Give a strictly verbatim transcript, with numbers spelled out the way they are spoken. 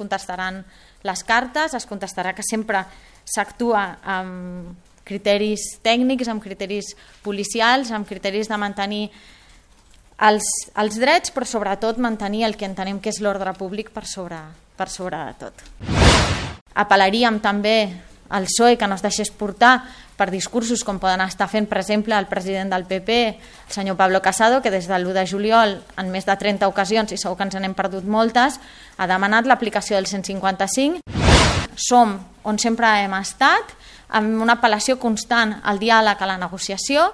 contestaran les cartes, es contestarà que sempre s'actua amb criteris tècnics, amb criteris policials, amb criteris de mantenir els, els drets, però sobretot mantenir el que entenem que és l'ordre públic per sobre, per sobre de tot. Apel·laríem també al P S O E que no es deixés portar per discursos com poden estar fent, per exemple, el president del P P, el senyor Pablo Casado, que des de l'u de juliol, en més de trenta ocasions, i segur que ens n'hem perdut moltes, ha demanat l'aplicació del cent cinquanta-cinc. Som on sempre hem estat, amb una apel·lació constant al diàleg, a la negociació.